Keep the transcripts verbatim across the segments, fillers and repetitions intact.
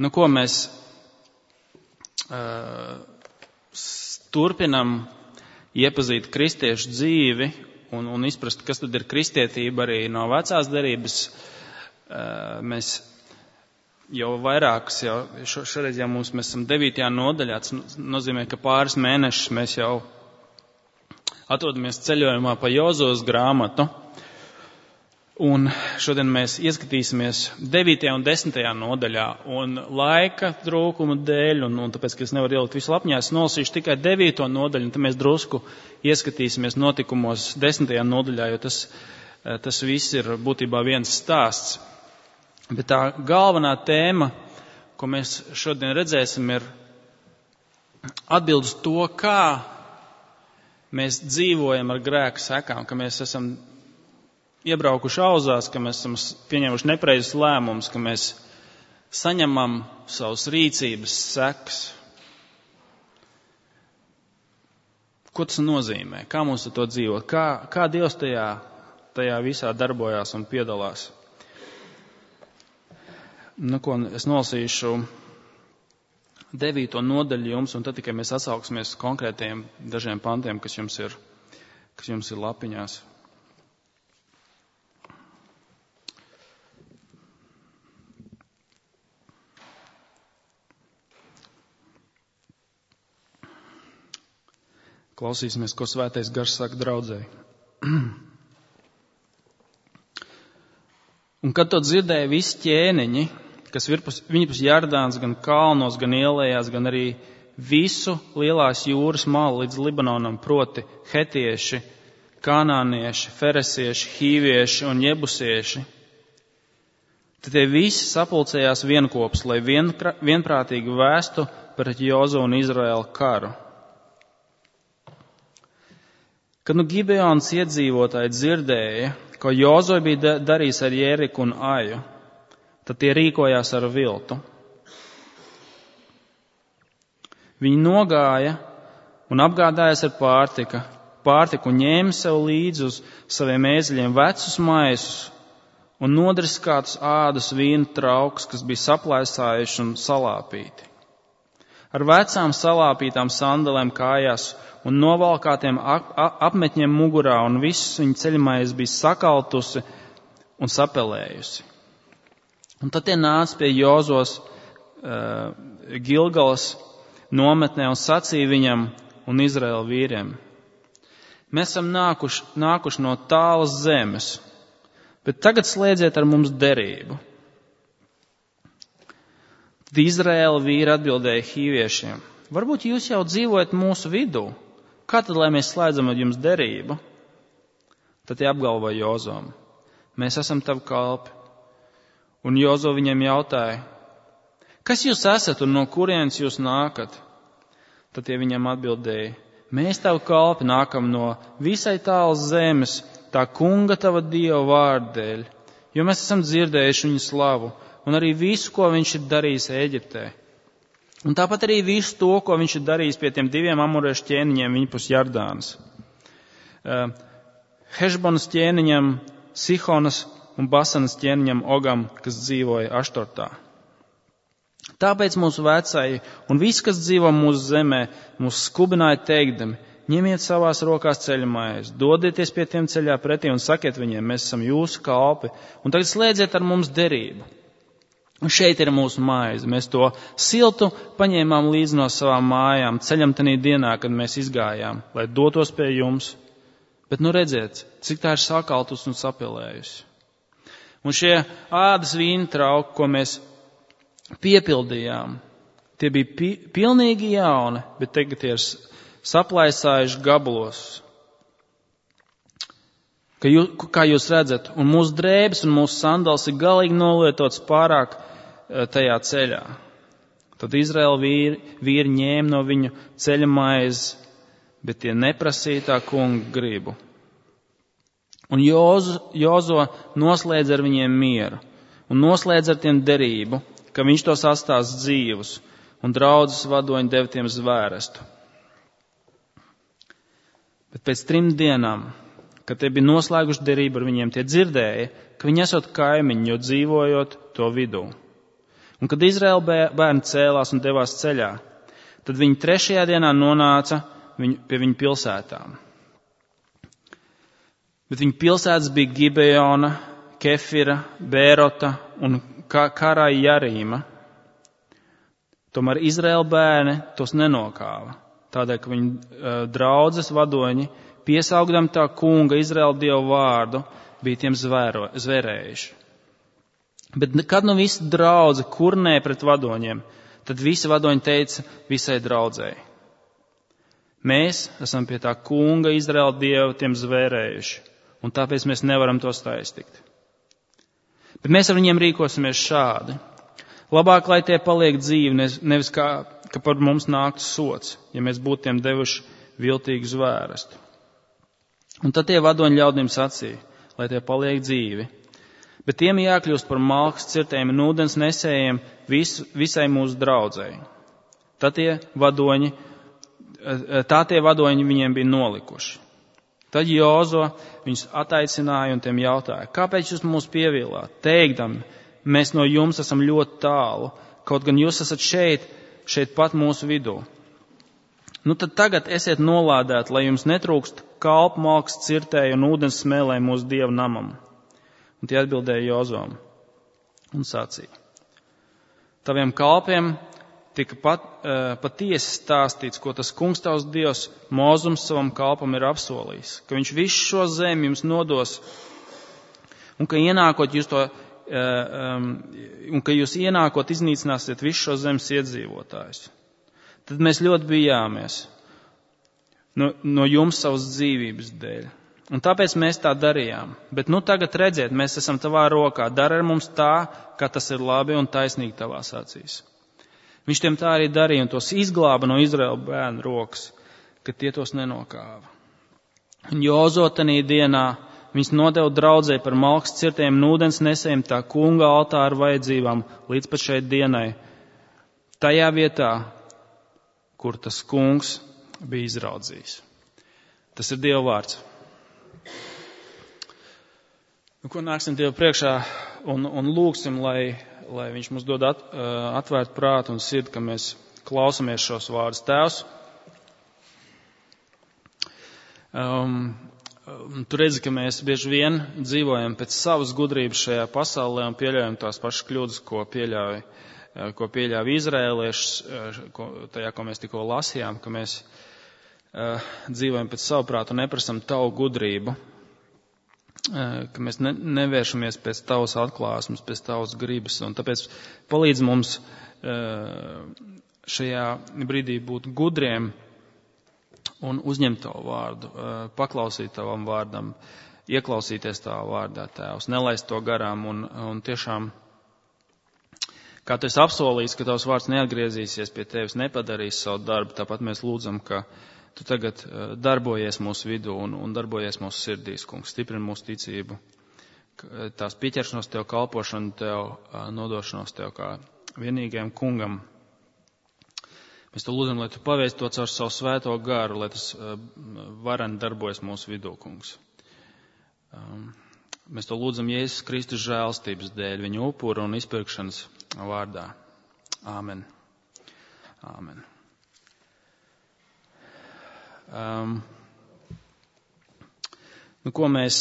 nu, ko mēs uh, turpinam iepazīt kristiešu dzīvi un, un izprast, kas tad ir kristietība arī no vecās derības. Uh, mēs jau vairākas, jau šo, šoreiz jau mums, mēs esam devītajā nodaļā, tas nozīmē, ka pāris mēnešus mēs jau atrodamies ceļojumā pa Jozos grāmatu. Un šodien mēs ieskatīsimies devītajā un desmitajā nodaļā, un laika trūkuma dēļ, un, un tāpēc, ka es nevaru ielikt visu lapņā, es nolasīšu tikai devīto nodaļu, un tad mēs drusku ieskatīsimies notikumos desmitajā nodaļā, jo tas, tas viss ir būtībā viens stāsts. Bet tā galvenā tēma, ko mēs šodien redzēsim, ir atbild uz to, kā mēs dzīvojam ar grēka sekām, ka mēs esam iebraukuši auzās, ka mēs esam pieņēmuši nepareizus lēmumus, ka mēs saņemam savus rīcības sekas. Ko tas nozīmē? Kā mums ar to dzīvot? Kā, kā Dievs tajā, tajā visā darbojās un piedalās? Nu, ko es nolasīšu devīto nodaļu jums, un tad tikai mēs atsauksimies konkrētiem dažiem pantiem, kas jums ir, kas jums ir lapiņās. Klausīsimies, ko Svētais Gars saka draudzēji. Un kad to dzirdēja visi ķēniņi, kas virpus, viņipus Jardāns gan kalnos, gan ielējās, gan arī visu lielās jūras malu līdz Libanonam, proti hetieši, kanānieši, feresieši, hīvieši un jebusieši, tad tie visi sapulcējās vienkopus, lai vienkrā, vienprātīgi vēstu pret Jozu un Izraēlu karu. Kad nu Gibeonas iedzīvotāji dzirdēja, ko Jozo bija darījis ar Jeriku un Aju, tad tie rīkojās ar viltu. Viņi nogāja un apgādājās ar pārtika, pārtiku un ņēma sev līdzi uz saviem ēzeļiem vecus maisus un nodriskātus ādus vīnu traukus, kas bija saplēsājuši un salāpīti. Ar vecām salāpītām sandalēm kājās un novalkātiem ap, apmetņiem mugurā, un viss viņa ceļmaize bija sakaltusi un sapelējusi. Un tad tie nāca pie Jozos uh, Gilgalas nometnē un sacīja viņam un Izraēla vīriem: mēs esam nākuši, nākuši no tālas zemes, bet tagad slēdziet ar mums derību. Tad Izraēla vīri atbildēja hīviešiem: varbūt jūs jau dzīvojat mūsu vidū? Kā tad, lai mēs slēdzam ar jums derību? Tad tie apgalvoja Jozom: mēs esam tavi kalpi. Un Jozo viņiem jautāja: kas jūs esat un no kurienes jūs nākat? Tad tie viņam atbildēja: mēs tavi kalpi nākam no visai tālas zemes, tā kunga tava Dieva vārda dēļ, jo mēs esam dzirdējuši viņu slavu un arī visu, ko viņš ir darījis Ēģiptē. Un tāpat arī visu to, ko viņš ir darījis pie tiem diviem amoriešu ķēniņiem viņpus Jardānas. Uh, Hešbonas ķēniņam, Sihonas un Basanas ķēniņam Ogam, kas dzīvoja Aštortā. Tāpēc mūsu vecāji un visi, kas dzīvo mūsu zemē, mūs skubināja teikdami: ņemiet savās rokās ceļmaizi, dodieties pie tiem ceļā pretī un sakiet viņiem: mēs esam jūsu kalpi, un tagad slēdziet ar mums derību. Un šeit ir mūsu maize. Mēs to siltu paņēmām līdzi no savām mājām ceļam tanī dienā, kad mēs izgājām, lai dotos pie jums. Bet nu redziet, cik tā ir sakaltus un sapilējusi. Un šie ādas vīna trauki, ko mēs piepildījām, tie bija pi- pilnīgi jauni, bet tagad tie ir saplaisājuši gabalos. Ka jū, kā jūs redzat, un mūsu drēbes un mūsu sandals ir galīgi nolietots pārāk tajā ceļā. Tad Izraēla vīri, vīri ņēma no viņu ceļa maizes, bet tie neprasīja tā kunga gribu. Un Jozo, Jozo noslēdz ar viņiem mieru un noslēdz ar tiem derību, ka viņš tos atstās dzīvus, un draudzes vadoņi deva tiem zvērestu. Bet pēc trim dienām, kad tie bija noslēguši derību ar viņiem, tie dzirdēja, ka viņi esot kaimiņi, jo dzīvojot to vidū. Un kad Izraēla bērni cēlās un devās ceļā, tad viņi trešajā dienā nonāca viņu, pie viņu pilsētām. Bet viņu pilsētas bija Gibeona, Kefira, Bērota un Karai Jarīma. Tomēr Izraēla bērni tos nenokāva, tādēļ, ka viņu uh, draudzes vadoņi, piesaugdam tā kunga Izraēla dievu vārdu, bija tiem zvēro, zvērējuši. Bet kad nu visa draudze kurnē pret vadoņiem, tad visi vadoņi teica visai draudzēji: mēs esam pie tā kunga Izraēla dievu tiem zvērējuši, un tāpēc mēs nevaram tos taistigt. Bet mēs ar viņiem rīkosimies šādi. Labāk, lai tie paliek dzīvi, nevis kā, ka par mums nāktu sots, ja mēs būtu tiem devuši viltīgu zvērstu. Un tad tie vadoņi ļaudīm sacīja, lai tie paliek dzīvi, bet tiem jākļūst par malkas cirtējiem un ūdens nesējiem vis, visai mūsu draudzēji. Tad tie vadoņi, tā tie vadoņi viņiem bija nolikuši. Tad Jozo viņus ataicināja un tiem jautāja: kāpēc jūs mūs pievilāt, teikdami, mēs no jums esam ļoti tālu, kaut gan jūs esat šeit, šeit pat mūsu vidū. Nu tad tagad esiet nolādēti, lai jums netrūkst kalpu, malkas cirtēju un ūdens smēlē mūsu dievu namam. Un tie atbildēja Jozom un sacīja: taviem kalpiem tika pat, uh, patiesi stāstīts, ko tas kungs tavs dievs Mozums savam kalpam ir apsolījis, ka viņš visu šo zemi jums nodos un ka ienākot jūs to Um, un ka jūs ienākot iznīcināsiet visu šo zemes iedzīvotājus. Tad mēs ļoti bijāmies no, no jums savas dzīvības dēļ. Un tāpēc mēs tā darījām. Bet nu tagad redziet, mēs esam tavā rokā. Dari ar mums tā, kā tas ir labi un taisnīgi tavās acīs. Viņš tiem tā arī darīja un tos izglāba no Izraēla bērnu rokas, ka tie tos nenokāva. Un Jozo tanī dienā viņus nodeva draudzē par malkas cirtiem un ūdens nesējiem tā kunga altāra vajadzībām līdz pat šai dienai, tajā vietā, kur tas kungs bija izraudzījis. Tas ir Dieva vārds. Nu, ko nāksim Dievu priekšā un, un lūgsim, lai, lai viņš mums dod at, atvērt prātu un sirdi, ka mēs klausamies šos vārdus. Tēvs, um, tu redzi, ka mēs bieži vien dzīvojam pēc savas gudrības šajā pasaulē un pieļaujam tās pašas kļūdas, ko pieļauj, ko pieļauj izrēlieši, ko, tajā, ko mēs tikko lasījām, ka mēs uh, dzīvojam pēc savu prātu un neprasam tavu gudrību, uh, ka mēs ne, nevēršamies pēc tavas atklāsmes, pēc tavas gribas. Un tāpēc palīdz mums uh, šajā brīdī būt gudriem un uzņemt tavu vārdu, paklausīt tavam vārdam, ieklausīties tavā vārdā, Tēvs, nelaist to garām un, un tiešām, kā tu esi apsolījis, ka tavs vārds neatgriezīsies pie tevis, nepadarīs savu darbu, tāpat mēs lūdzam, ka tu tagad darbojies mūsu vidū un, un darbojies mūsu sirdīs, kungs, stiprini mūsu ticību, tās pieķeršanos tev, kalpošanu tev, nodošanos tev kā vienīgajam kungam. Mēs to lūdzam, lai tu pavēsti to caur savu svēto garu, lai tas uh, vareni darbojas mūsu vidū, kungs. Um, mēs to lūdzam Jēzus Kristus žēlstības dēļ, viņa upura un izpirkšanas vārdā. Āmen. Āmen. Um, nu, ko mēs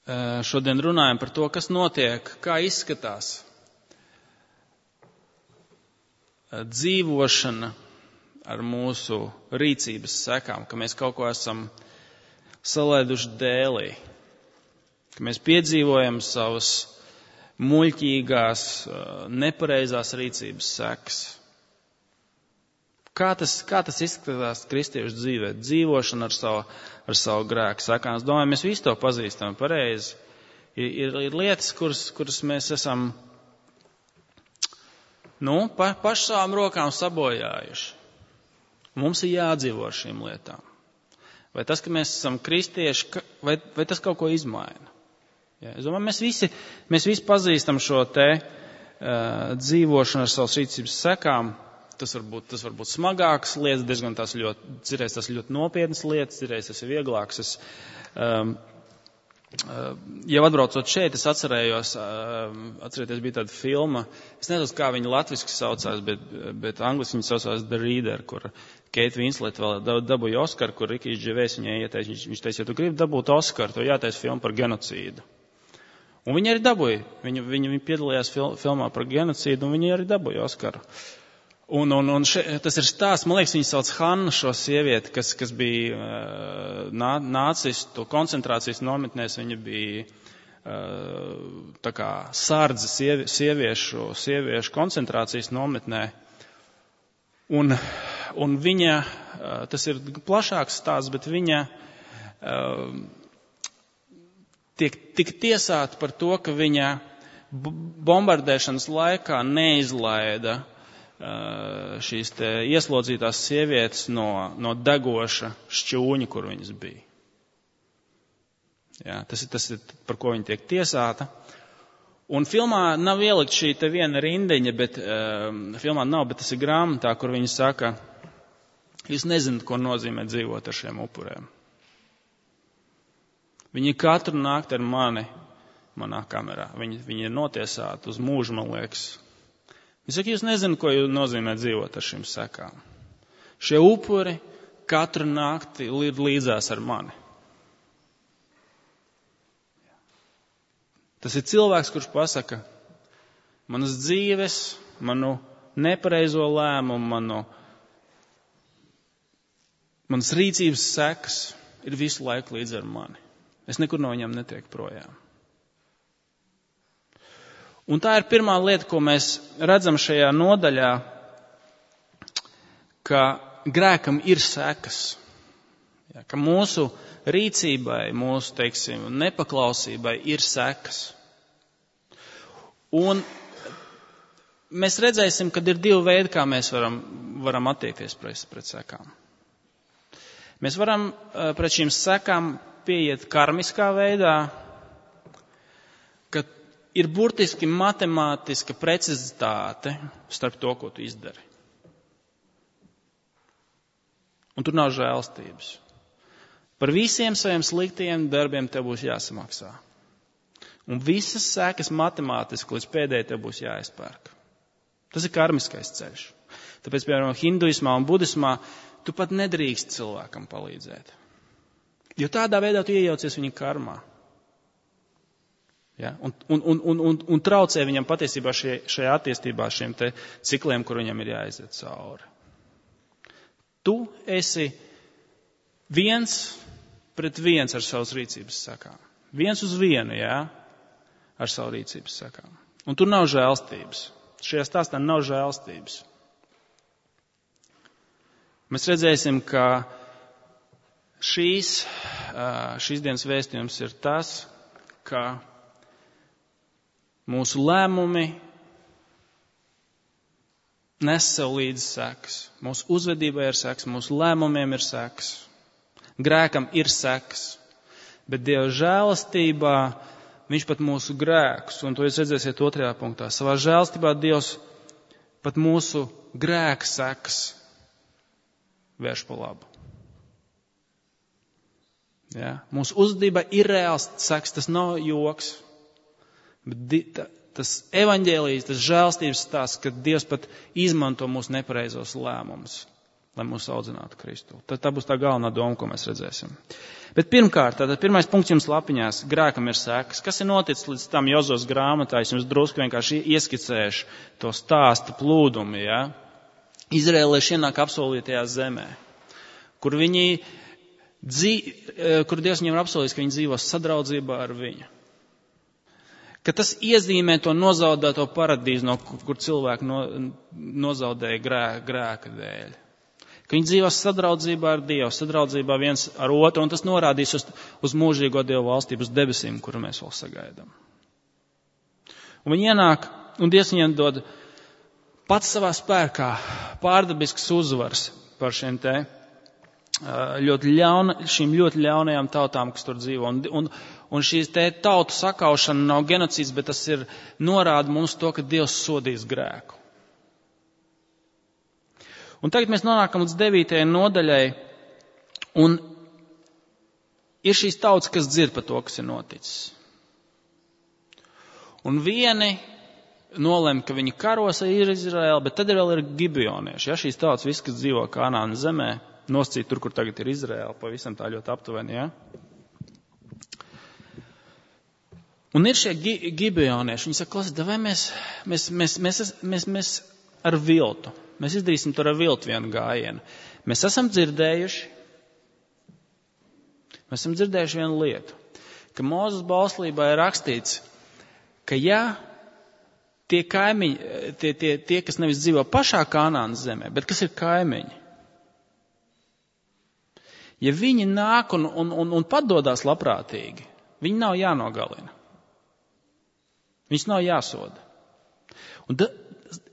uh, šodien runājam par to, kas notiek, kā izskatās dzīvošana ar mūsu rīcības sekām, ka mēs kaut ko esam salaiduši dēlī, ka mēs piedzīvojam savas muļķīgās, nepareizās rīcības sekas. Kā tas, kā tas izskatās kristiešu dzīvē, dzīvošana ar savu, ar savu grēku sekām? Es domāju, mēs visi to pazīstam pareizi. Ir, ir, ir lietas, kuras, kuras mēs esam Nu, pa, paši savām rokām sabojājuši. Mums ir jādzīvo ar šīm lietām. Vai tas, ka mēs esam kristieši, vai, vai tas kaut ko izmaina? Ja, es domāju, mēs visi, mēs visi pazīstam šo te uh, dzīvošanu ar savas rīcības sekām. Tas var būt, tas var būt smagākas lietas, diezgan tās ļoti, cirēs tas ļoti nopietnas lietas, cirēs tas ir vieglāks. Es, um, Jau atbraucot šeit, es atcerējos, atcerieties, bija tāda filma, es nezinu, kā viņa latviski saucās, bet, bet angliski viņa saucās The Reader, kur Kate Winslet vēl dabūja Oskaru, kur Rikijs Dževējs viņai ieteica, viņš, viņš teica, ja tu gribi dabūt Oskaru, to jātaisa filma par genocīdu. Un viņa arī dabūja, viņa, viņa, viņa piedalījās fil, filmā par genocīdu, un viņa arī dabūja Oskaru. Un, un, un še, tas ir stāsts, man liekas, viņa sauc Hanna, šo sievieti, kas, kas bija nā, nācistu koncentrācijas nometnēs, viņa bija tā kā sārdze sievi, sieviešu, sieviešu koncentrācijas nometnē. Un, un viņa, tas ir plašāks stāsts, bet viņa tiek, tiek tiesāta par to, ka viņa bombardēšanas laikā neizlaida šīs te ieslodzītās sievietes no, no degoša šķūņa, kur viņas bija. Jā, tas ir tas, ir, par ko viņa tiek tiesāta. Un filmā nav ielikt šī te viena rindiņa, bet um, filmā nav, bet tas ir grāmatā, kur viņa saka, jūs nezināt, ko nozīmē dzīvot ar šiem upuriem. Viņi katru nakti ar mani, manā kamerā, viņi, viņi ir notiesāti uz mūžu, man liekas. Viņš saka, jūs nezināt, ko nozīmē dzīvot ar šīm sekām. Šie upuri katru nakti ir līdzās ar mani. Tas ir cilvēks, kurš pasaka, manas dzīves, manu nepareizo lēmumu, manu, manas rīcības sekas ir visu laiku līdz ar mani. Es nekur no viņiem netieku projām. Un tā ir pirmā lieta, ko mēs redzam šajā nodaļā, ka grēkam ir sekas. Ja, ka mūsu rīcībai, mūsu, teiksim, nepaklausībai ir sekas. Un mēs redzēsim, ka ir divi veidi, kā mēs varam, varam attiekties pret, pret sekām. Mēs varam pret šīm sekām pieiet karmiskā veidā, ka ir burtiski matemātiska precizitāte starp to, ko tu izdari. Un tur nav žēlstības. Par visiem saviem sliktajiem darbiem tev būs jāsamaksā. Un visas sekas matemātiski līdz pēdējai tev būs jāizpērk. Tas ir karmiskais ceļš. Tāpēc, piemēram, hinduismā un budismā tu pat nedrīkst cilvēkam palīdzēt. Jo tādā veidā tu iejaucies viņa karmā. Ja? Un, un, un, un, un, un traucē viņam patiesībā šie, šajā attīstībā šiem te cikliem, kur viņam ir jāiziet cauri. Tu esi viens pret viens ar savas rīcības sakām. Viens uz vienu, jā, ar savu rīcības sakām. Un tur nav žēlstības. Šajā stāstā nav žēlstības. Mēs redzēsim, ka šīs, šīs dienas vēstījums ir tas, ka mūsu lēmumi nes sev līdzi sekas. Mūsu uzvedībai ir sekas, mūsu lēmumiem ir sekas. Grēkam ir sekas. Bet Dieva žēlastībā viņš pat mūsu grēkus, un to jūs redzēsiet otrajā punktā, savā žēlastībā Dievs pat mūsu grēku sekas vērš pa labu. Ja? Mūsu uzvedība ir reāls sekas, tas nav joks. Bet tas evaņģēlijs, tas žēlstības stāsts, ka Dievs pat izmanto mūsu nepareizos lēmumus, lai mūs audzinātu Kristu. Tad tā būs tā galvenā doma, ko mēs redzēsim. Bet pirmkārt, tātad pirmais punkts jums lapiņās, grēkam ir sekas. Kas ir noticis līdz tam Jozos grāmatā? Es jums drusku vienkārši ieskicēšu to stāstu plūdumu, ja? Izraēlieši ienāk apsolītajā zemē, kur viņi, dzī, kur Dievs viņiem ir apsolījis, ka viņi dzīvos sadraudzībā ar viņu. Ka tas iezīmē to nozaudēto paradīzi, no kur cilvēki no, nozaudēja grē, grēka dēļ. Ka viņi dzīvos sadraudzībā ar Dievu, sadraudzībā viens ar otru, un tas norādīs uz, uz mūžīgo Dievu valstību, uz debesīm, kuru mēs vēl sagaidām. Un viņi ienāk, un Dievs viņiem dod pats savā spēkā pārdabisks uzvars par šiem te ļoti ļauna, šīm ļoti ļaunajām tautām, kas tur dzīvo. Un, un, un šīs te tautu sakaušana nav genocīds, bet tas ir norāda mums to, ka Dievs sodīs grēku. Un tagad mēs nonākam līdz devītajai nodaļai, un ir šīs tautas, kas dzird par to, kas ir noticis. Un vieni nolem, ka viņi karos ar Izraēlu, bet tad vēl ir gibionieši. Ja, šīs tautas, viss, kas dzīvo Kanānas zemē, nosacīt tur, kur tagad ir Izraēla, pavisam tā ļoti aptuveni, ja. Un ir šie gi, gibionieši, viņi saka, klausies, vai mēs, mēs, mēs, mēs, mēs, mēs ar viltu, mēs izdarīsim tur ar viltu vienu gājienu. Mēs esam dzirdējuši, mēs esam dzirdējuši vienu lietu, ka Mūzes bauslībā ir rakstīts, ka ja tie kaimiņi, tie, tie, tie, kas nevis dzīvo pašā Kanānas zemē, bet kas ir kaimiņi, ja viņi nāk un, un, un, un padodās labprātīgi, viņi nav jānogalina. Viņus nav jāsoda. Un da,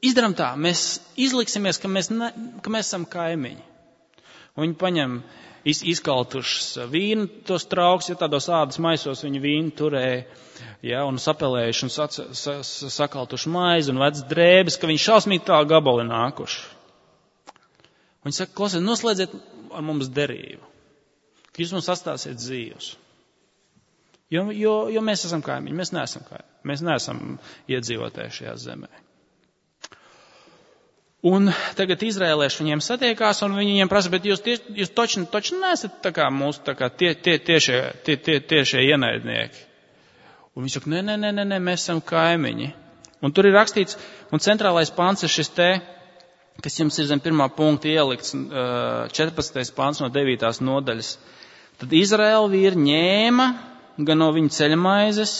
izdaram tā, mēs izliksimies, ka mēs, ne, ka mēs esam kaimiņi. Un viņi paņem iz, izkaltušas vīnu, tos trauks, ja tādos ādas maisos viņi vīnu turēja, ja, un sapelējuši un sac, sa, sa, sakaltuši maizi un vec drēbes, ka viņi šausmīgi tā gabali nākuši. Viņi saka, klausiet, noslēdziet ar mums derību, ka jūs mums atstāsiet dzīvus. Jo, jo, jo mēs esam kaimiņi, mēs neesam kaimiņi, mēs neesam iedzīvotāji šajā zemē. Un tagad izrēlieši viņiem satiekās, un viņi viņiem prasa, bet jūs, tie, jūs toči, toči neesat tā kā mūsu tā kā tie, tie, tiešie, tie, tie, tiešie ienaidnieki. Un viņi saka, nē, nē, nē, nē, nē, mēs esam kaimiņi. Un tur ir rakstīts, un centrālais pants ir šis te, kas jums ir zem pirmā punkta ielikts, četrpadsmitais pants no devītās nodaļas. Tad Izraēla vīri ņēma gan no viņa ceļmaizes,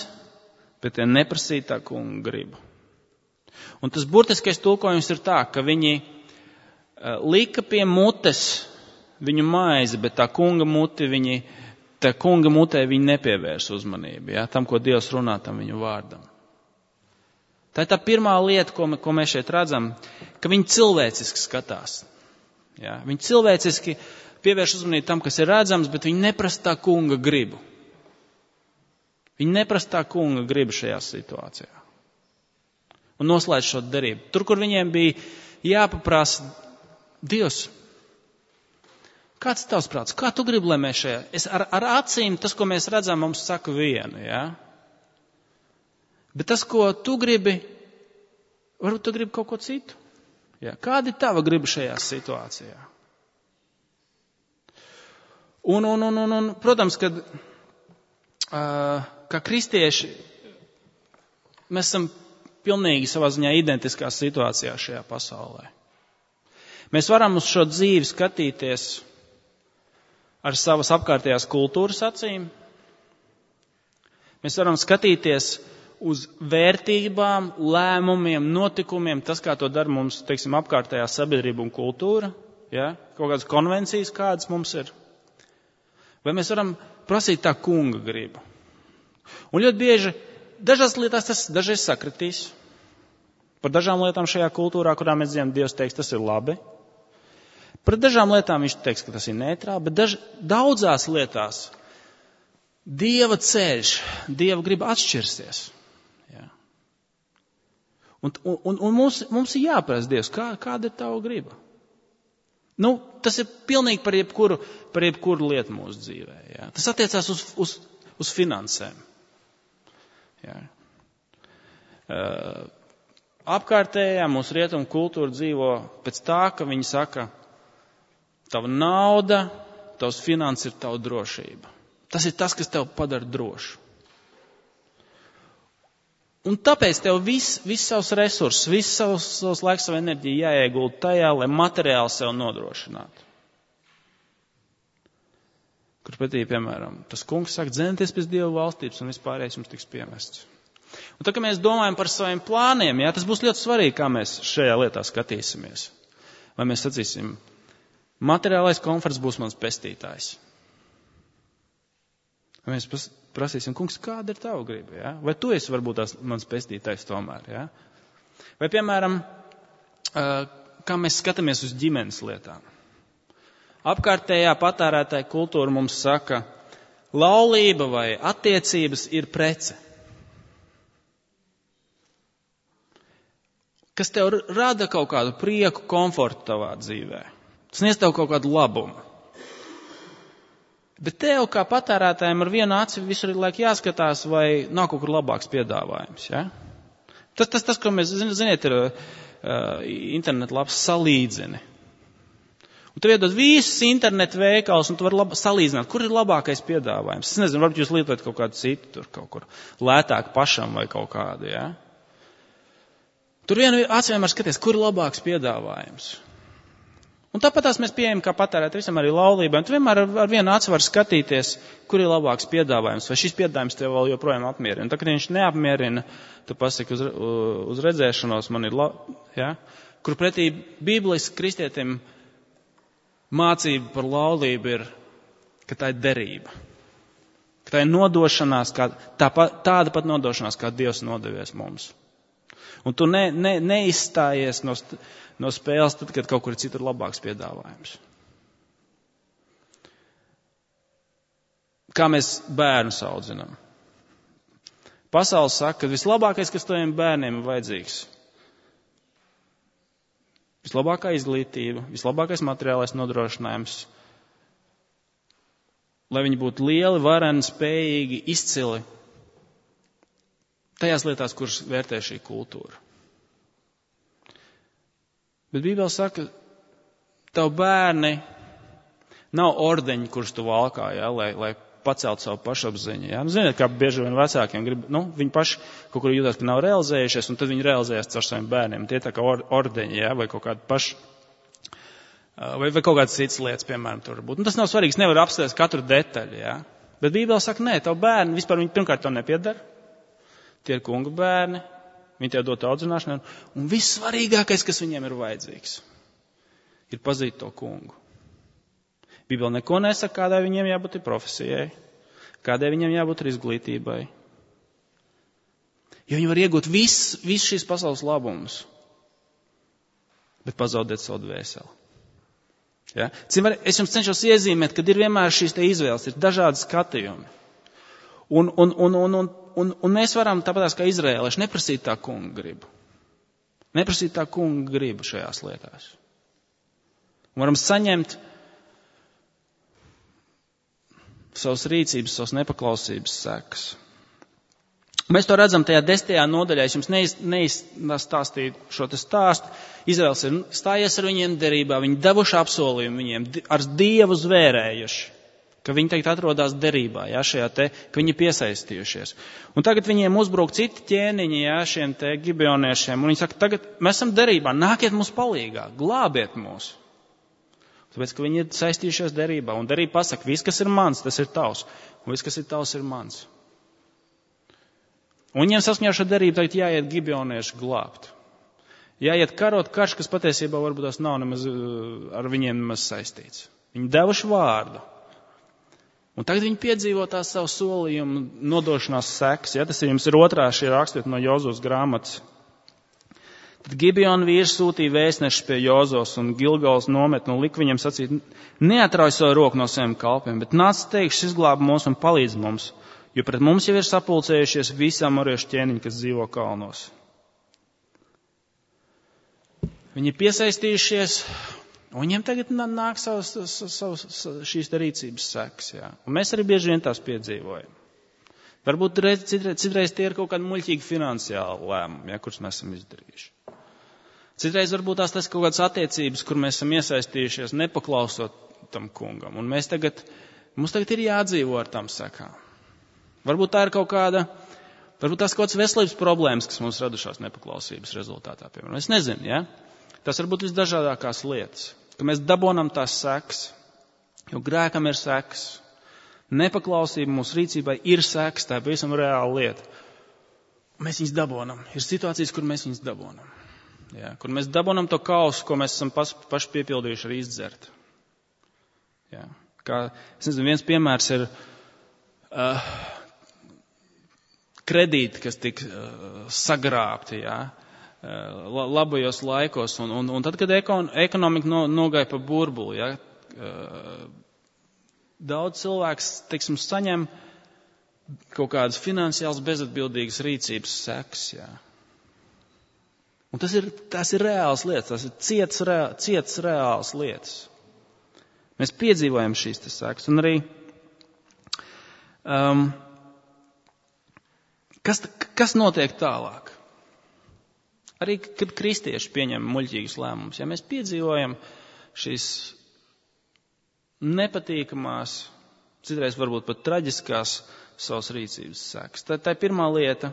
bet tie neprasīja tā kunga gribu. Un tas burtiskais tulkojums ir tā, ka viņi lika pie mutes viņu maizi, bet tā kunga muti viņi, tā kunga mutē viņi nepievērs uzmanību, ja, tam, ko Dievs runā tam viņu vārdam. Tā ir tā pirmā lieta, ko, ko mēs šeit redzam, ka viņi cilvēciski skatās. Ja, viņi cilvēciski pievērš uzmanību tam, kas ir redzams, bet viņi neprasa tā kunga gribu. Viņi neprasa tā kunga gribu šajā situācijā. Un noslēdz šo derību. Tur, kur viņiem bija jāpaprasa, Dievs, kāds ir tavs prāts? Kā tu gribi, lai mēs šajā? Es ar, ar acīm, tas, ko mēs redzam, mums saka vienu, jā? Bet tas, ko tu gribi, varbūt tu gribi kaut ko citu. Jā? Kāda ir tava griba šajā situācijā? Un, un, un, un, un protams, kad uh, kā kristieši, mēs esam pilnīgi savā ziņā identiskā situācijā šajā pasaulē. Mēs varam uz šo dzīvi skatīties ar savas apkārtējās kultūras acīm. Mēs varam skatīties uz vērtībām, lēmumiem, notikumiem, tas, kā to dara mums, teiksim, apkārtējā sabiedrība un kultūra, ja? Kaut kādas konvencijas, kādas mums ir. Vai mēs varam prasīt tā kunga gribu. Un ļoti bieži dažās lietās tas dažreiz sakritīs. Par dažām lietām šajā kultūrā, kurā mēs dzīvojam, Dievs teiks, tas ir labi. Par dažām lietām viņš teiks, ka tas ir neitrāli, bet daž, daudzās lietās Dieva ceļš, Dieva griba atšķirsies. Ja. Un, un, un mums, mums ir jāprasa Dievs, kā, kāda ir tava griba. Nu, tas ir pilnīgi par jebkuru, par jebkuru lietu mūsu dzīvē. Ja. Tas attiecās uz, uz, uz finansēm. Ja. Uh, apkārtējā mūsu rietumu kultūra dzīvo pēc tā, ka viņi saka, tava nauda, tavs finanses ir tava drošība. Tas ir tas, kas tev padara drošu. Un tāpēc tev viss, viss savs resursus, viss savs, savs laiks, savu enerģiju jāiegulda tajā, lai materiāli sev nodrošinātu. Kur pretī, piemēram, tas kungs saka, dzenieties pēc Dieva valstības un vispārējais jums tiks piemests. Un tā, ka mēs domājam par saviem plāniem, jā, tas būs ļoti svarīgi, kā mēs šajā lietā skatīsimies. Vai mēs sacīsim, materiālais komforts būs mans pestītājs. Vai mēs prasīsim, kungs, kāda ir tava griba, jā? Vai tu esi varbūt tās mans pestītājs tomēr, jā? Vai, piemēram, kā mēs skatāmies uz ģimenes lietām. Apkārtējā patērētāja kultūra mums saka, laulība vai attiecības ir prece. Kas tev rada kaut kādu prieku, komfortu tavā dzīvē. Tas sniedz tev kaut kādu labumu. Bet tev kā patērētājiem ar vienu aci visur ir laik jāskatās, vai nav kaut kur labāks piedāvājums. Ja? Tas, tas, tas, ko mēs, ziniet, ir uh, internet labs salīdzini. Un tu iedod visus internetu veikalus, un tu vari lab, salīdzināt, kur ir labākais piedāvājums. Es nezinu, varbūt jūs lietojat kaut kādu citu, tur kaut kur lētāk pašam vai kaut kādu. Ja? Tur vienu aci vienmēr skaties, kur ir labāks piedāvājums. Un tāpatās mēs pieejam kā patērēt visam arī laulībai. Un tu vienmēr ar, ar vienu aci var skatīties, kur ir labāks piedāvājums, vai šis piedāvājums tev vēl joprojām apmierina. Un tā, kad viņš neapmierina, tu pasaki uz, uz redzēšanos, man ir, la, ja? Kur pretī Bībeles kristietim mācība par laulību ir, ka tā ir derība. Ka tā ir nodošanās, kā, tā, tāda pat nodošanās, kā Dievs nodevies mums. Un tu ne, ne, neizstājies no, no spēles, tad, kad kaut kur ir citur labāks piedāvājums. Kā mēs bērnus audzinām? Pasaule saka, ka vislabākais, kas taviem bērniem ir vajadzīgs, vislabākā izglītība, vislabākais materiālais nodrošinājums, lai viņi būtu lieli, vareni, spējīgi, izcili tajās lietās, kuras vērtē šī kultūra. Bet Bībele saka, tavu bērni nav ordeņi, kurus tu valkā, ja, lai, lai pacelt savu pašapziņu. Ja. Ziniet, kā bieži vien vecākiem grib, nu, viņi paši kaut kur jūtas, ka nav realizējušies, un tad viņi realizējas caur saviem bērniem. Tie tā kā or, ordeņi, ja, vai kaut kādi paši, vai, vai kaut kādas citas lietas, piemēram, tur būt. Un tas nav svarīgs, nevar apstāties katru detaļu, ja. Bet Bībele saka, nē, tavu bērni vispār viņi pirmkārt to nepiedara. Tie ir kunga bērni, viņi tev dot audzināšanai, un vissvarīgākais, kas viņiem ir vajadzīgs, ir pazīt to kungu. Bībele neko nesaka, kādai viņiem jābūt ir profesijai, kādai viņiem jābūt ir izglītībai. Jo viņi var iegūt visu vis šīs pasaules labumus, bet pazaudēt savu dvēseli. Ja? Es jums cenšos iezīmēt, kad ir vienmēr šīs te izvēles, ir dažādi skatījumi. Un, un, un, un, un, un, un mēs varam tāpatās kā izrēlieši neprasīt tā kunga gribu. Neprasīt tā kunga gribu šajās lietās. Un varam saņemt savas rīcības, savas nepaklausības sekas. Mēs to redzam tajā desmitajā nodaļā. Es jums neiz, neizstāstīju šo te stāstu. Izraels ir stājies ar viņiem derībā, viņi devuši apsolījumu viņiem, ar Dievu zvērējuši. Ka viņi teikt atrodās derībā, jā, šajā te, ka viņi piesaistījušies. Un tagad viņiem uzbruk citi ķēniņi, jā, šiem te gibeoniešiem, un viņi saka, tagad mēs esam derībā, nākiet mums palīgā, glābiet mūs. Tāpēc, ka viņi ir saistījušies derībā, un derība pasaka, viss, kas ir mans, tas ir tavs, un viss, kas ir tavs, ir mans. Un viņiem saskaņā šo derību tagad jāiet gibeonieši glābt. Jāiet karot karš, kas patiesībā varbūt tās nav nemaz ar viņiem nemaz saistīts. Viņi devuši vārdu. Un tagad viņi piedzīvo tās savu solījumu nodošanās sekas. Ja? Tas ir jums ir otrā šī rakstīta no Jozos grāmatas. Tad Gibeona vīrs sūtīja vēstnešus pie Jozos un Gilgals nometni un lika viņiem sacīt, neatrauj savu roku no saviem kalpiem, bet nāc teikšs izglāb mūs un palīdz mums, jo pret mums jau ir sapulcējušies visi amoriešu ķēniņi, kas dzīvo kalnos. Viņi ir piesaistījušies. Un viņiem tagad nāk savas, savas šīs rīcības sekas. Jā. Un mēs arī bieži vien tās piedzīvojam. Varbūt reiz, citreiz, citreiz tie ir kaut kādi muļķīgi finansiāli lēmumi, ja, kurus mēs esam izdarījuši. Citreiz varbūt tās tas kaut kādas attiecības, kur mēs esam iesaistījušies, nepaklausot tam kungam. Un mēs tagad, mums tagad ir jādzīvo ar tam sekām. Varbūt tā ir kaut kāda, varbūt tās kaut kādas veselības problēmas, kas mums radušās nepaklausības rezultātā. Piemēram. Es nezinu, ja? Tas var būt visdažādākās lietas, ka mēs dabonam tās sekas, jo grēkam ir sekas. Nepaklausība mūsu rīcībai ir sekas, tā ir pavisam reāla lieta. Mēs viņus dabonam. Ir situācijas, kur mēs viņus dabonam. Jā, kur mēs dabonam to kausu, ko mēs esam pas, paši piepildījuši arī izdzert. Jā, kā, es nezinu, viens piemērs ir uh, kredīti, kas tika uh, sagrābti, jā. Labajos laikos, un, un, un tad, kad ekon, ekonomika no, nogāja pa burbuli, ja, daudz cilvēks, teiksim, saņem kaut kādas finansiāls bezatbildīgas rīcības sekas, ja. Un tas ir, tas ir reāls lietas, tas ir ciets, reā, ciets reāls lietas. Mēs piedzīvojam šīs te sekas, un arī Um, kas, kas notiek tālāk? Arī, kad kristieši pieņem muļķīgus lēmumus, ja mēs piedzīvojam šīs nepatīkamās, citreiz varbūt pat traģiskās savas rīcības sekas. Tā, tā ir pirmā lieta,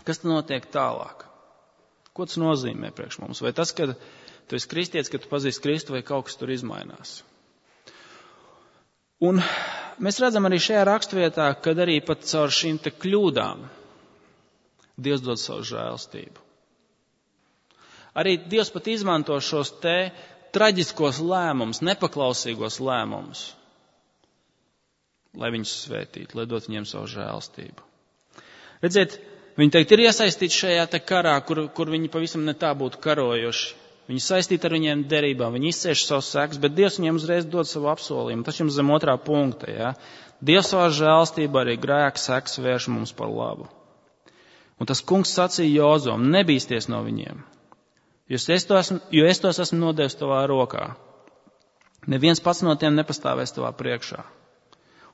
kas tad notiek tālāk? Ko tas nozīmē priekš mums? Vai tas, ka tu esi kristietis, ka tu pazīsti Kristu, vai kaut kas tur izmainās? Un mēs redzam arī šajā raksturvietā, kad arī pat caur šīm te kļūdām Dievs dod savu žēlstību. Arī Dievs pat izmanto šos te traģiskos lēmumus, nepaklausīgos lēmumus, lai viņus svētītu, lai dot viņiem savu žēlstību. Redziet, viņi teikt ir iesaistīti šajā te karā, kur, kur viņi pavisam ne tā būtu karojuši. Viņi saistīti ar viņiem derībām, viņi izcieš savus sekas, bet Dievs viņiem uzreiz dod savu apsolījumu. Tas jums zem otrā punkta, ja? Dievs savā žēlstībā arī grēka sekas vērš mums par labu. Un tas kungs sacīja Jozom, nebīsties no viņiem, jo es, esmu, jo es tos esmu nodevis tavā rokā. Neviens pats no tiem nepastāvēs tavā priekšā.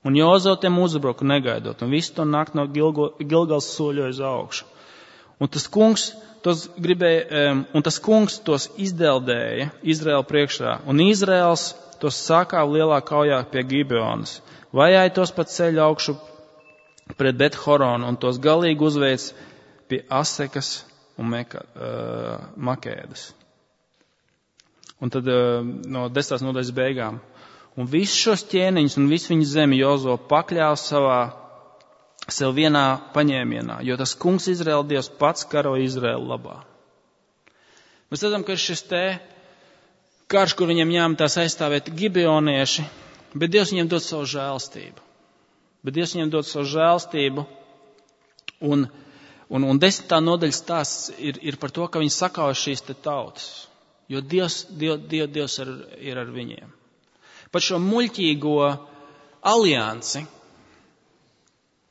Un Jozo tiem uzbruka negaidot, un visu to nakt no Gilgo, Gilgals soļoja uz augšu. Un tas kungs tos gribēja, um, un tas kungs tos izdeldēja Izraēla priekšā, un Izraēls tos sākāva lielā kaujā pie Gibeonas, vajāja tos pa ceļu augšu pret Bet-Horonu, un tos galīgi uzveic pie Asekas un Meka, uh, Makēdas. Un tad uh, no desmitās nodaļas beigām. Un visus šos ķēniņus un visu viņu zemi Jozo pakļāva savā sev vienā paņēmienā, jo tas kungs Izraēla Dievs pats karo Izraēlu labā. Mēs redzam, ka šis te karš, kur viņiem jāmatās aizstāvēt gibeonieši, bet Dievs viņiem dod savu žēlstību. Bet Dievs viņiem dod savu žēlstību, un, un, un desmitā nodaļas stāsts ir, ir par to, ka viņi sakauja šīs te tautas, jo Dievs, Dievs, Dievs, Dievs ir, ir ar viņiem. Par šo muļķīgo aliansi,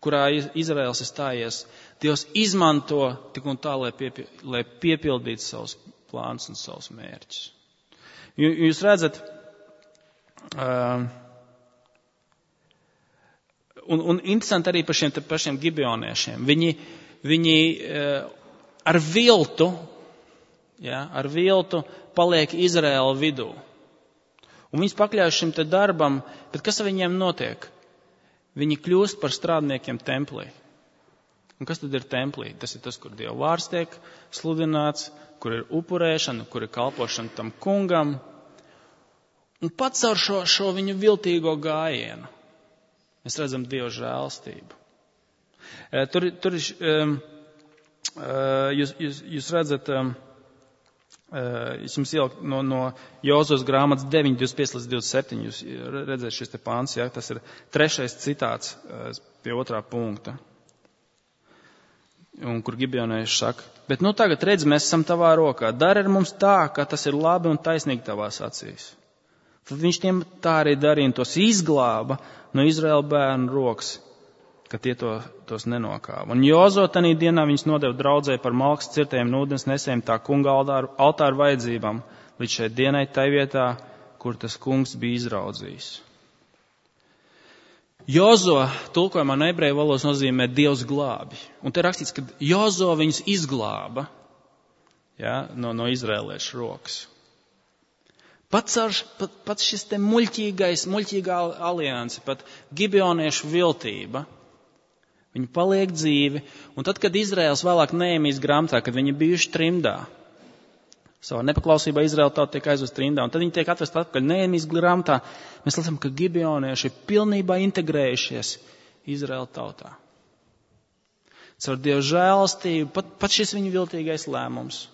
kurā Izraēls ir stājies, Dievs izmanto tik un tā, lai, piepil, lai piepildītu savus plānus un savus mērķus. Jūs redzat, uh, un, un interesanti arī par šiem, par šiem gibeoniešiem. Viņi, viņi uh, ar viltu, ja, ar viltu paliek Izraēla vidū. Un viņus pakļauj šim te darbam, bet kas ar viņiem notiek? Viņi kļūst par strādniekiem templī. Un kas tad ir templī? Tas ir tas, kur Dieva vārds tiek sludināts, kur ir upurēšana, kur ir kalpošana tam kungam. Un pats ar šo, šo viņu viltīgo gājienu mēs redzam Dieva žēlstību. Tur, tur um, jūs, jūs, jūs redzat, um, es jums ieliku no, no Jozos grāmatas deviņi, divdesmit pieci līdz divdesmit septiņi, jūs redzat šis te pāns, ja, tas ir trešais citāts pie otrā punkta. Un kur gibeonieši saka, bet nu tagad redz, mēs esam tavā rokā, dari ar mums tā, ka tas ir labi un taisnīgi tavās acīs. Tad viņš tiem tā arī darīja un tos izglāba no Izraēla bērnu rokas, ka tie to, tos nenokāva. Un Jozo tanī dienā viņus nodeva draudzē par malkas cirtējiem un ūdens nesējiem tā kunga altāru, altāru vajadzībām, līdz šai dienai tai vietā, kur tas kungs bija izraudzījis. Jozo tulkojumā no ebreju valodas nozīmē Dievs glābi. Un te rakstīts, ka Jozo viņus izglāba, ja, no, no izrēliešu rokas. Pats, ar, pat, pats šis te muļķīgais, muļķīgā alianse, pat gibeoniešu viltība, viņi paliek dzīvi, un tad, kad Izraēls vēlāk Nehemijas grāmatā, kad viņi bijuši trimdā, savā nepaklausībā Izraēla tauta tiek aizvest trimdā, un tad viņi tiek atvest atpakaļ Nehemijas grāmatā, mēs lasām, ka gibeonieši ir pilnībā integrējušies Izraēla tautā. Caur Dieva žēlastību, pat, pat šis viņu viltīgais lēmums,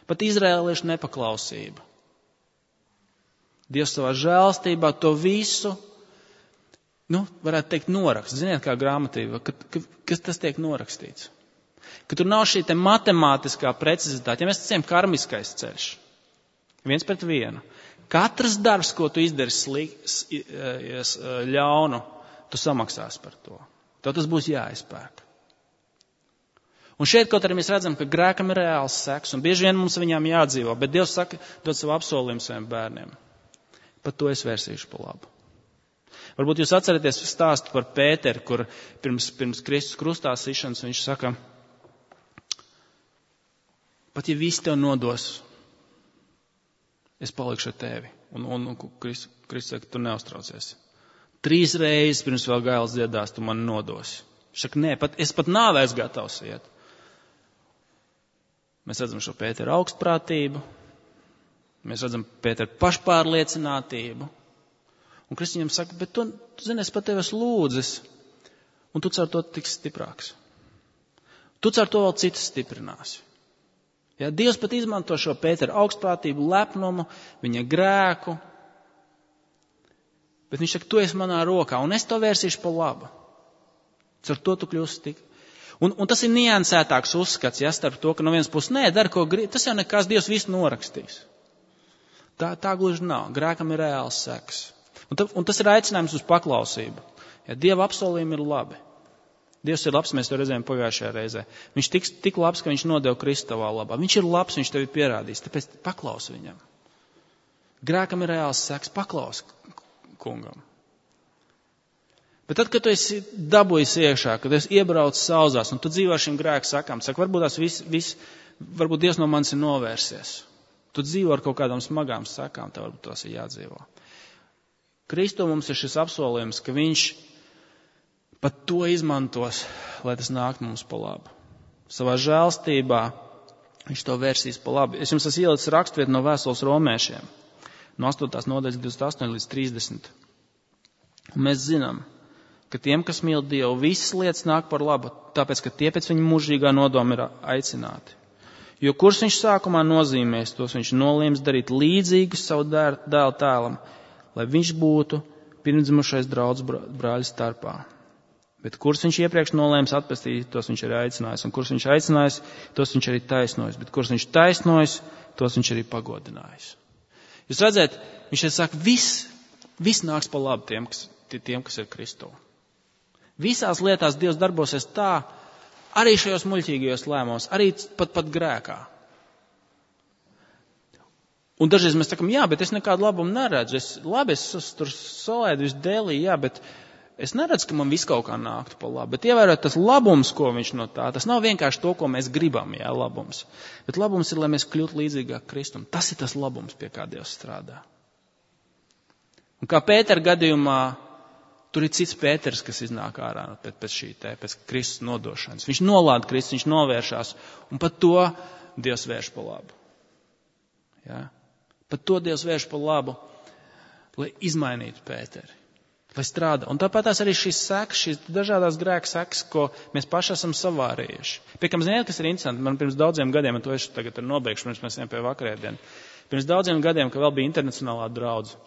pat izraēliešu nepaklausība. Dievs savā žēlastībā to visu, nu, varētu teikt, norakst. Ziniet, kā grāmatība, ka, ka, kas tas tiek norakstīts. Ka tur nav šī te matemātiskā precizitāte. Ja mēs ticam karmiskais ceļš, viens pret vienu. Katrs darbs, ko tu izdari slik, ļaunu, tu samaksās par to. Tev tas būs jāizpērk. Un šeit, kaut arī mēs redzam, ka grēkam ir reāls seks, un bieži vien mums viņām jādzīvo, bet Dievs saka, dod savu apsolījumu saviem bērniem. Pat to es vērsīšu pa labu. Varbūt jūs atceraties stāstu par Pēteru, kur pirms, pirms Kristus krustā sišanas viņš saka, pat ja visi tev nodos, es palikšu ar tevi. Un, un, un Kristus Kristus saka, tu neuztraucies. Trīs reizes pirms vēl gailes dziedās, tu mani nodosi. Viņš saka, nē, pat, es pat nāvēs gatavs iet. Mēs redzam šo Pēteru augstprātību, mēs redzam Pēteru pašpārliecinātību. Un Kristus viņam saka, bet tu, tu zini, es pat tevi esmu lūdzis, un tu caur to tiks stiprāks. Tu caur to vēl citus stiprināsi. Ja, Dievs pat izmanto šo Pēteru augstprātību, lepnumu, viņa grēku, bet viņš saka, tu esi manā rokā, un es to vērsīšu pa labu. Caur to tu kļūsi tik. Un, un tas ir niansētāks uzskats, ja, starp to, ka no vienas puses, nē, dari, ko grib, tas jau nekas, Dievs visu norakstīs. Tā, tā gluži nav. Grēkam ir reāls seks. Un, ta, un tas ir aicinājums uz paklausību. Ja, Dieva apsolījumi ir labi. Dievs ir labs, mēs to redzējām pagājušajā reizē. Viņš tik, tik labs, ka viņš nodeva Kristu tavā labā. Viņš ir labs, viņš tevi pierādīs, tāpēc paklausi viņam. Grēkam ir reāls seks, paklausi kungam. Bet tad, kad tu esi dabūjis iekšā, kad esi iebraucis sauzās, un tu dzīvo šim grēku sakām, saka, varbūt tās viss, vis, varbūt Dievs no manis ir novērsies. Tu dzīvo ar kaut kādām smagām sakām, tev varbūt tās ir jādzīvo. Kristu mums ir šis apsolījums, ka viņš pat to izmantos, lai tas nāk mums pa labu. Savā žēlstībā viņš to vērsīs pa labu. Es jums esmu ielicis raksturvietu no vēstules romiešiem, no astotās nodaļas divdesmit astoņi līdz trīsdesmit. Un mēs zinām, ka tiem, kas mīl Dievu, visas lietas nāk par labu, tāpēc, ka tie pēc viņa mūžīgā nodoma ir aicināti. Jo kurš viņš sākumā nozīmēs, tos viņš noliems darīt līdzīgus savu dēlu tēlam, lai viņš būtu pirmdzimušais draudz brāļu starpā. Bet kurš viņš iepriekš nolēms atpestīt, tos viņš arī aicinājis, un kurš viņš aicinājis, tos viņš arī taisnojis, bet kurš viņš taisnojis, tos viņš arī pagodinājis. Jūs redzēt, viņš arī saka, viss, viss nāks pa labu tiem, kas, tiem, kas ir Kristū. Visās lietās Dievs darbosies tā, arī šajos muļķīgajos lēmumos, arī pat, pat grēkā. Un dažreiz mēs sakam, jā, bet es nekādu labumu neredzu. Es, labi, es, es tur solēdu visu dēlī, jā, bet es neredzu, ka man viss kaut kā nāktu pa labu. Bet ievērot tas labums, ko viņš no tā, tas nav vienkārši to, ko mēs gribam, jā, labums. Bet labums ir, lai mēs kļūtu līdzīgāk Kristum. Tas ir tas labums, pie kā Dievs strādā. Un kā Pētera gadījumā, tur ir cits Pēters, kas iznāk ārā pēc, pēc šī te, pēc Kristus nodošanas. Viņš nolāda Kristus, viņš novēršās, un pat to Dievs vērš pa labu. Ja? Pat to Dievs vērš pa labu, lai izmainītu Pēteri, lai strādā. Un tāpat tās arī šīs sekas, šīs dažādās grēka sekas, ko mēs paši esam savārījuši. Piekam, ziniet, kas ir interesanti, man pirms daudziem gadiem, un to es tagad nobeigšu, pirms mēs ejam pie vakarēdien, pirms daudziem gadiem, ka vēl bija internacionālā draudze.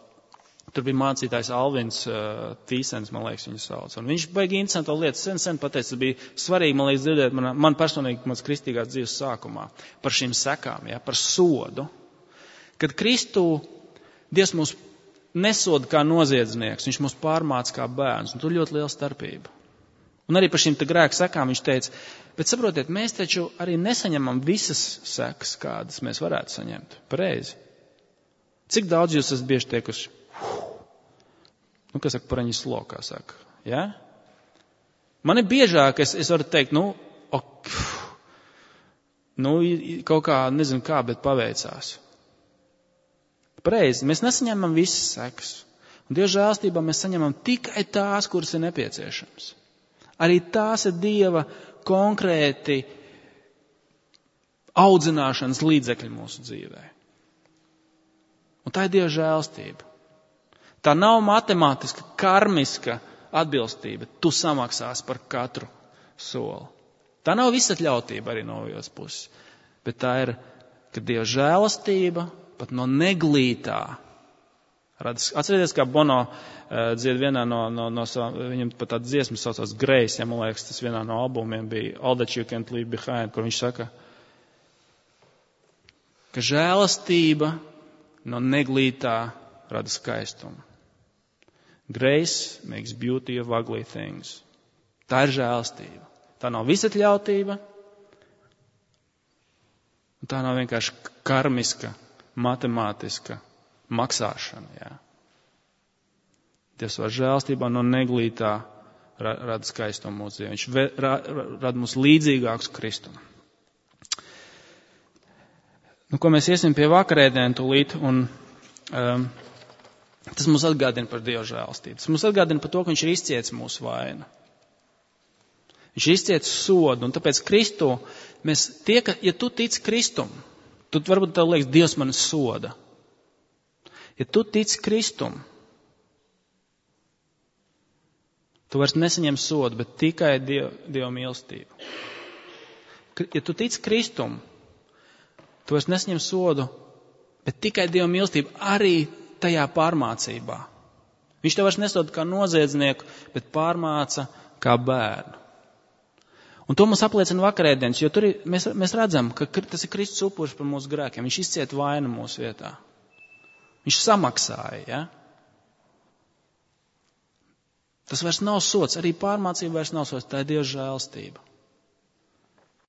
Tur bija mācītājs Alvins uh, Tīsens, man liekas, viņu sauc. Un viņš baigi interesantu lietu sen, sen pateica, tas bija svarīgi, man liekas, dzirdēt man, man personīgi mans kristīgās dzīves sākumā par šīm sekām, ja, par sodu. Kad Kristū Dievs mūs nesoda kā noziedznieks, viņš mūs pārmāca kā bērns, un tur ļoti liela starpība. Un arī par šīm te grēku sekām viņš teica, bet saprotiet, mēs taču arī nesaņemam visas sekas, kādas mēs varētu saņemt. Pareizi. Cik daudz jūs esat bieži teikuši? Nu, kas saka, paraņi slokā, saka, ja? Man ir biežāk, es, es varu teikt, nu, ok, nu, kaut kā, nezinu kā, bet paveicās. Pareizi, mēs nesaņemam visas sekas. Un Dieva žēlstībā mēs saņemam tikai tās, kuras ir nepieciešams. Arī tās ir Dieva konkrēti audzināšanas līdzekļi mūsu dzīvē. Un tā ir Dieva žēlstība. Tā nav matemātiska, karmiska atbilstība. Tu samaksās par katru soli. Tā nav visatļautība arī no otras puses. Bet tā ir, ka Dieva žēlastība pat no neglītā. Atcerieties, kā Bono uh, dzied vienā no, no, no savām, viņam pat tāda dziesma saucās Grace, ja man liekas, tas vienā no albumiem bija All That You Can't Leave Behind, kur viņš saka, ka žēlastība no neglītā rada skaistumu. Grace makes beauty of ugly things. Tā ir žēlastība. Tā nav visatļautība. Tā nav vienkārši karmiska, matemātiska maksāšana. Jā. Dievs savā žēlstībā no neglītā rada skaistumu mūsu dzīvē. Viņš rada mūs līdzīgākus Kristum. Nu, ko mēs iesim pie vakarēdienu tūlīt, un um, tas mums atgādina par Dieva žēlstību. Tas mums atgādina par to, ka viņš ir izcietis mūsu vainu. Viņš ir izcietis sodu, un tāpēc Kristu, mēs tie, ka, ja tu tici Kristum, tu varbūt tev liekas, Dievs mani soda. Ja tu tici Kristum, tu vairs nesaņem sodu, bet tikai Dieva, Dieva mīlestību. Ja tu tici Kristum, tu vairs nesaņem sodu, bet tikai Dieva mīlestību arī tajā pārmācībā. Viņš tev vairs nesoda kā noziedznieku, bet pārmāca kā bērnu. Un to mums apliecina vakarēdienas, jo tur ir, mēs, mēs redzam, ka tas ir Kristus upuris par mūsu grēkiem. Viņš izcieta vainu mūsu vietā. Viņš samaksāja, ja? Tas vairs nav sods, arī pārmācība vairs nav sods, tā ir Dieva žēlstība.